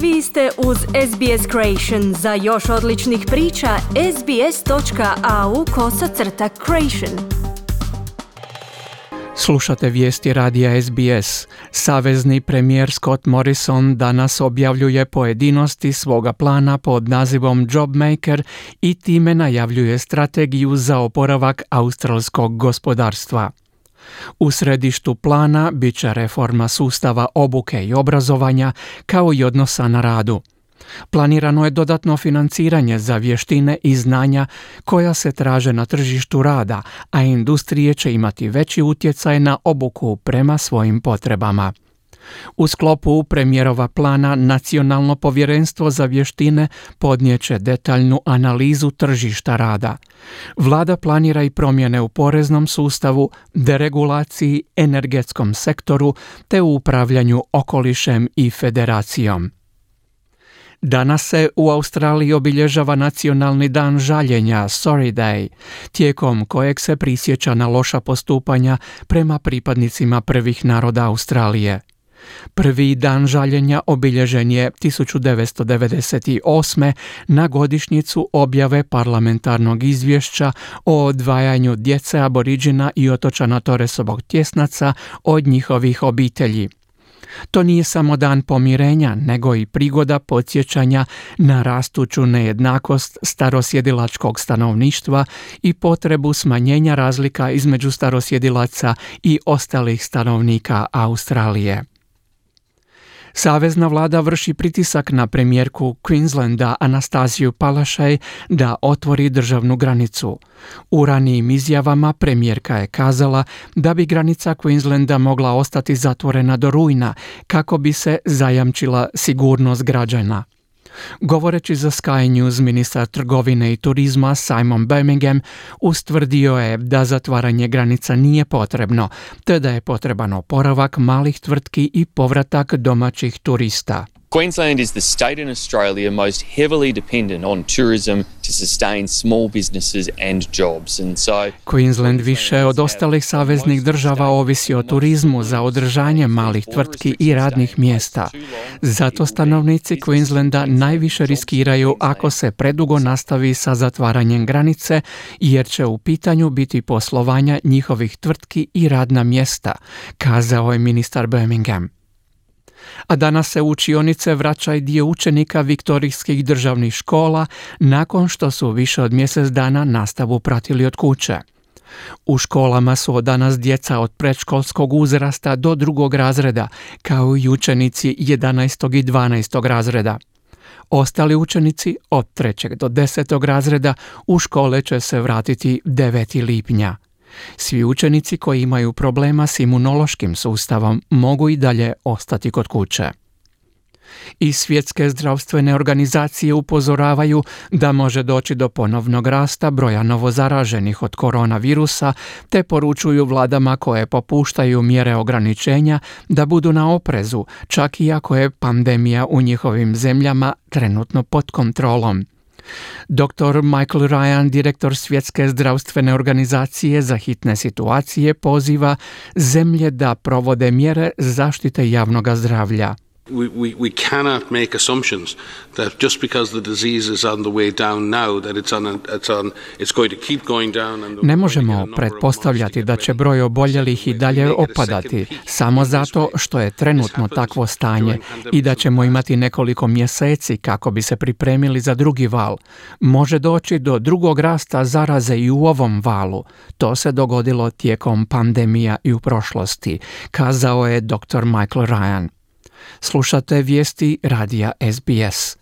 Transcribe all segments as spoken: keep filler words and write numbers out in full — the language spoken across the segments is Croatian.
Vi ste uz S B S Creation. Za još odličnih priča, sbs.au kosacrta creation. Slušate vijesti radija S B S. Savezni premijer Scott Morrison danas objavljuje pojedinosti svoga plana pod nazivom Jobmaker i time najavljuje strategiju za oporavak australskog gospodarstva. U središtu plana bit će reforma sustava obuke i obrazovanja kao i odnosa na radu. Planirano je dodatno financiranje za vještine i znanja koja se traže na tržištu rada, a industrije će imati veći utjecaj na obuku prema svojim potrebama. U sklopu premijerova plana Nacionalno povjerenstvo za vještine podnijet će detaljnu analizu tržišta rada. Vlada planira i promjene u poreznom sustavu, deregulaciji, energetskom sektoru te u upravljanju okolišem i federacijom. Danas se u Australiji obilježava Nacionalni dan žaljenja, Sorry Day, tijekom kojeg se prisjeća na loša postupanja prema pripadnicima prvih naroda Australije. Prvi dan žaljenja obilježen je tisuću devetsto devedeset osme. na godišnjicu objave parlamentarnog izvješća o odvajanju djece Aboriđina i otočana Torresovog tjesnaca od njihovih obitelji. To nije samo dan pomirenja, nego i prigoda podsjećanja na rastuću nejednakost starosjedilačkog stanovništva i potrebu smanjenja razlika između starosjedilaca i ostalih stanovnika Australije. Savezna vlada vrši pritisak na premijerku Queenslanda Anastaziju Palaszczuk da otvori državnu granicu. U ranijim izjavama premijerka je kazala da bi granica Queenslanda mogla ostati zatvorena do rujna kako bi se zajamčila sigurnost građana. Govoreći za Sky News, ministar trgovine i turizma Simon Birmingham ustvrdio je da zatvaranje granica nije potrebno, te da je potreban oporavak malih tvrtki i povratak domaćih turista. Queensland is the state in Australia most heavily dependent on tourism to sustain small businesses and jobs. And so Queensland više od ostalih saveznih država ovisi o turizmu za održanje malih tvrtki i radnih mjesta. Zato stanovnici Queenslanda najviše riskiraju ako se predugo nastavi sa zatvaranjem granice, jer će u pitanju biti poslovanja njihovih tvrtki i radna mjesta, kazao je ministar Birmingham. A danas se u učionice vraća i dio učenika viktorijskih državnih škola nakon što su više od mjesec dana nastavu pratili od kuće. U školama su od danas djeca od predškolskog uzrasta do drugog razreda, kao i učenici jedanaestog i dvanaestog razreda. Ostali učenici od trećeg do desetog razreda u škole će se vratiti devetog lipnja. Svi učenici koji imaju problema s imunološkim sustavom mogu i dalje ostati kod kuće. I svjetske zdravstvene organizacije upozoravaju da može doći do ponovnog rasta broja novozaraženih od koronavirusa, te poručuju vladama koje popuštaju mjere ograničenja da budu na oprezu, čak i ako je pandemija u njihovim zemljama trenutno pod kontrolom. doktor Michael Ryan, direktor Svjetske zdravstvene organizacije za hitne situacije, poziva zemlje da provode mjere zaštite javnog zdravlja. We, we, we cannot make assumptions that just because the disease is on the way down now that it's on, a, it's on it's going to keep going down. And ne možemo pretpostavljati da će broj oboljelih i dalje opadati samo zato što je trenutno takvo stanje i da ćemo imati nekoliko mjeseci kako bi se pripremili za drugi val. Može doći do drugog rasta zaraze i u ovom valu. To se dogodilo tijekom pandemija i u prošlosti, kazao je doktor Michael Ryan. Slušate vijesti radija S B S.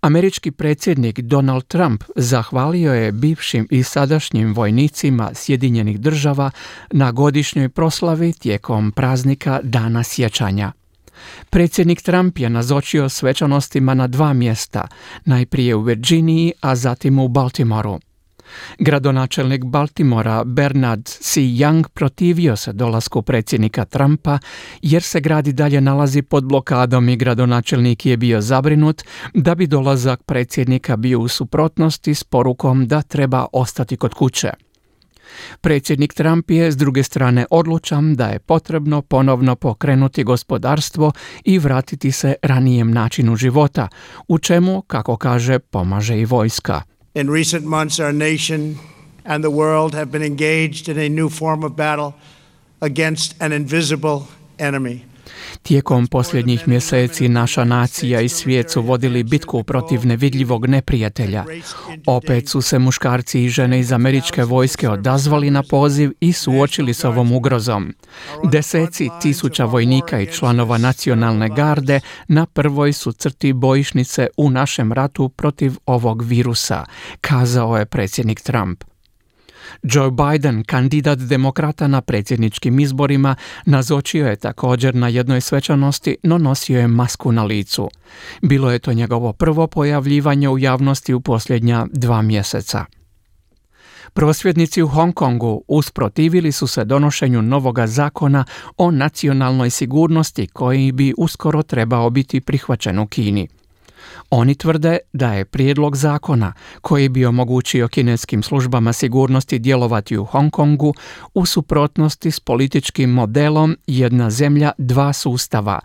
Američki predsjednik Donald Trump zahvalio je bivšim i sadašnjim vojnicima Sjedinjenih država na godišnjoj proslavi tijekom praznika Dana sjećanja. Predsjednik Trump je nazočio svečanostima na dva mjesta, najprije u Virginiji, a zatim u Baltimoru. Gradonačelnik Baltimora Bernard C. Young protivio se dolasku predsjednika Trumpa jer se grad i dalje nalazi pod blokadom i gradonačelnik je bio zabrinut da bi dolazak predsjednika bio u suprotnosti s porukom da treba ostati kod kuće. Predsjednik Trump je s druge strane odlučan da je potrebno ponovno pokrenuti gospodarstvo i vratiti se ranijem načinu života, u čemu, kako kaže, pomaže i vojska. In recent months, our nation and the world have been engaged in a new form of battle against an invisible enemy. Tijekom posljednjih mjeseci naša nacija i svijet su vodili bitku protiv nevidljivog neprijatelja. Opet su se muškarci i žene iz američke vojske odazvali na poziv i suočili s ovom ugrozom. Deseci tisuća vojnika i članova nacionalne garde na prvoj su crti bojišnice u našem ratu protiv ovog virusa, kazao je predsjednik Trump. Joe Biden, kandidat demokrata na predsjedničkim izborima, nazočio je također na jednoj svečanosti, no nosio je masku na licu. Bilo je to njegovo prvo pojavljivanje u javnosti u posljednja dva mjeseca. Prosvjednici u Hong Kongu usprotivili su se donošenju novoga zakona o nacionalnoj sigurnosti koji bi uskoro trebao biti prihvaćen u Kini. Oni tvrde da je prijedlog zakona koji bi omogućio kineskim službama sigurnosti djelovati u Hong Kongu u suprotnosti s političkim modelom jedna zemlja, dva sustava,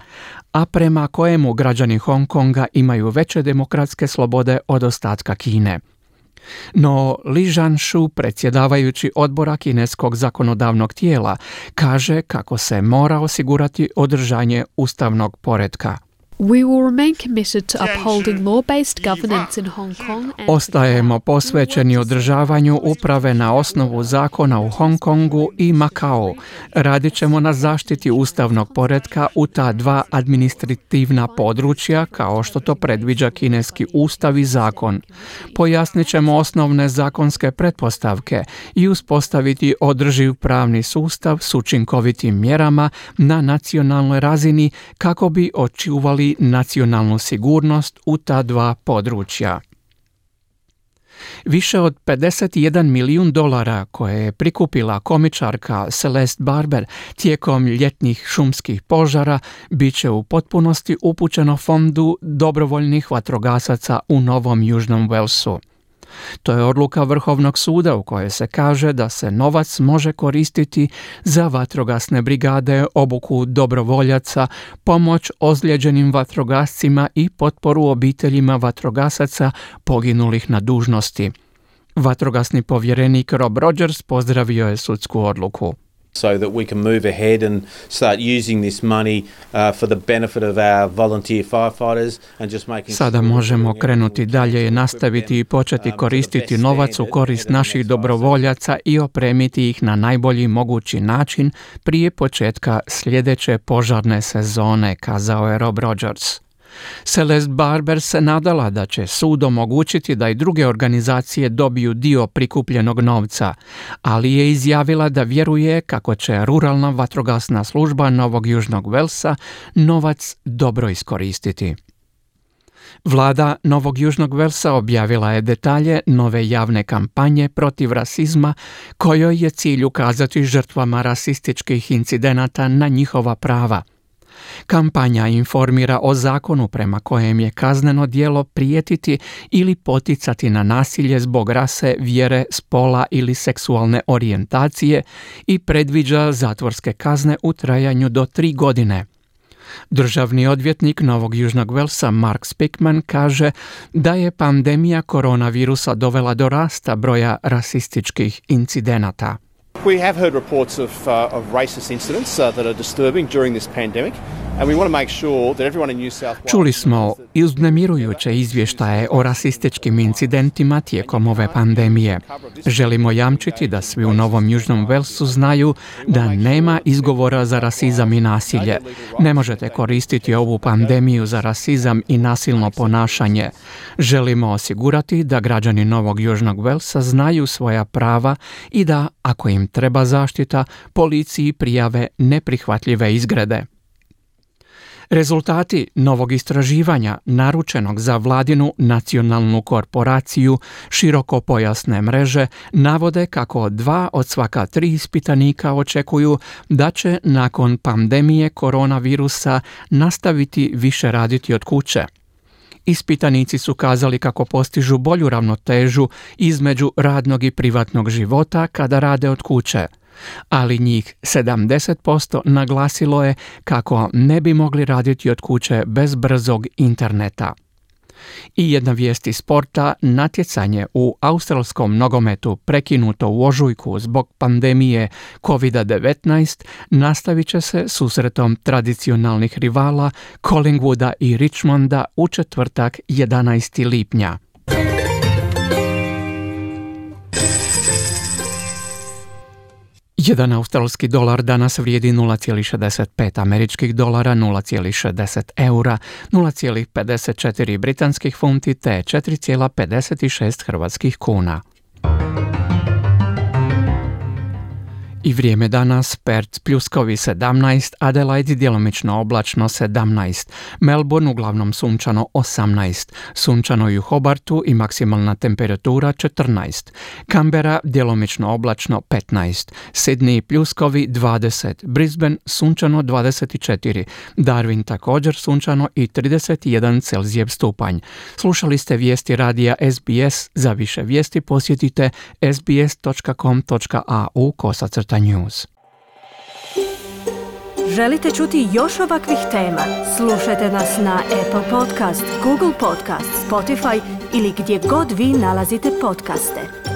a prema kojemu građani Hong Konga imaju veće demokratske slobode od ostatka Kine. No Li Zhanshu, predsjedavajući odbora kineskog zakonodavnog tijela, kaže kako se mora osigurati održanje ustavnog poretka. We will remain committed to upholding law-based governance in Hong Kong. And Ostajemo posvećeni održavanju uprave na osnovu zakona u Hong Kongu i Makao. Radit ćemo na zaštiti ustavnog poretka u ta dva administrativna područja, kao što to predviđa kineski ustav i zakon. Pojasnit ćemo osnovne zakonske pretpostavke i uspostaviti održiv pravni sustav s učinkovitim mjerama na nacionalnoj razini kako bi očuvali nacionalnu sigurnost u ta dva područja. Više od pedeset jedan milijun dolara koje je prikupila komičarka Celeste Barber tijekom ljetnih šumskih požara bit će u potpunosti upućeno fondu dobrovoljnih vatrogasaca u Novom Južnom Walesu. To je odluka Vrhovnog suda u kojoj se kaže da se novac može koristiti za vatrogasne brigade, obuku dobrovoljaca, pomoć ozlijeđenim vatrogascima i potporu obiteljima vatrogasaca poginulih na dužnosti. Vatrogasni povjerenik Rob Rogers pozdravio je sudsku odluku. So that we can move ahead and start using this money uh, for the benefit of our volunteer firefighters and just making Sada možemo krenuti dalje i nastaviti i početi koristiti novac u korist naših dobrovoljaca i opremiti ih na najbolji mogući način prije početka sljedeće požarne sezone, kazao je Rob Rogers. Celeste Barber se nadala da će sud omogućiti da i druge organizacije dobiju dio prikupljenog novca, ali je izjavila da vjeruje kako će ruralna vatrogasna služba Novog Južnog Walesa novac dobro iskoristiti. Vlada Novog Južnog Walesa objavila je detalje nove javne kampanje protiv rasizma kojoj je cilj ukazati žrtvama rasističkih incidenata na njihova prava. Kampanja informira o zakonu prema kojem je kazneno djelo prijetiti ili poticati na nasilje zbog rase, vjere, spola ili seksualne orijentacije i predviđa zatvorske kazne u trajanju do tri godine. Državni odvjetnik Novog Južnog Walesa Mark Speakman kaže da je pandemija koronavirusa dovela do rasta broja rasističkih incidenata. We have heard reports of, uh, of racist incidents uh, that are disturbing during this pandemic, and we want to make sure that everyone in New South Wales... Čuli smo uznemirujuće izvještaje o rasističkim incidentima tijekom ove pandemije. Želimo jamčiti da svi u Novom Južnom Walesu znaju da nema izgovora za rasizam i nasilje. Ne možete koristiti ovu pandemiju za rasizam i nasilno ponašanje. Želimo osigurati da građani Novog Južnog Walesa znaju svoja prava i da, ako im treba zaštita, policiji prijave neprihvatljive izgrede. Rezultati novog istraživanja naručenog za vladinu nacionalnu korporaciju širokopojasne mreže navode kako dva od svaka tri ispitanika očekuju da će nakon pandemije koronavirusa nastaviti više raditi od kuće. Ispitanici su kazali kako postižu bolju ravnotežu između radnog i privatnog života kada rade od kuće, ali njih sedamdeset posto naglasilo je kako ne bi mogli raditi od kuće bez brzog interneta. I jedna vijest iz sporta, natjecanje u australskom nogometu prekinuto u ožujku zbog pandemije kovid devetnaest nastavit će se susretom tradicionalnih rivala Collingwooda i Richmonda u četvrtak jedanaestog lipnja. Jedan australski dolar danas vrijedi nula zarez šezdeset pet američkih dolara, nula zarez šezdeset eura, nula zarez pedeset četiri britanskih funti te četiri zarez pedeset šest hrvatskih kuna. I vrijeme danas: Perth pljuskovi sedamnaest, Adelaide djelomično oblačno sedamnaest, Melbourne uglavnom sunčano osamnaest, sunčano i u Hobartu i maksimalna temperatura četrnaest, Canberra djelomično oblačno petnaest, Sydney pljuskovi dvadeset, Brisbane sunčano dvadeset četiri, Darwin također sunčano i trideset jedan Celzijev stupanj. Slušali ste vijesti radija S B S. Za više vijesti posjetite s b s dot com dot a u kosacrta news. Želite čuti još ovakvih tema? Slušajte nas na Apple Podcast, Google Podcast, Spotify ili gdje god vi nalazite podcaste.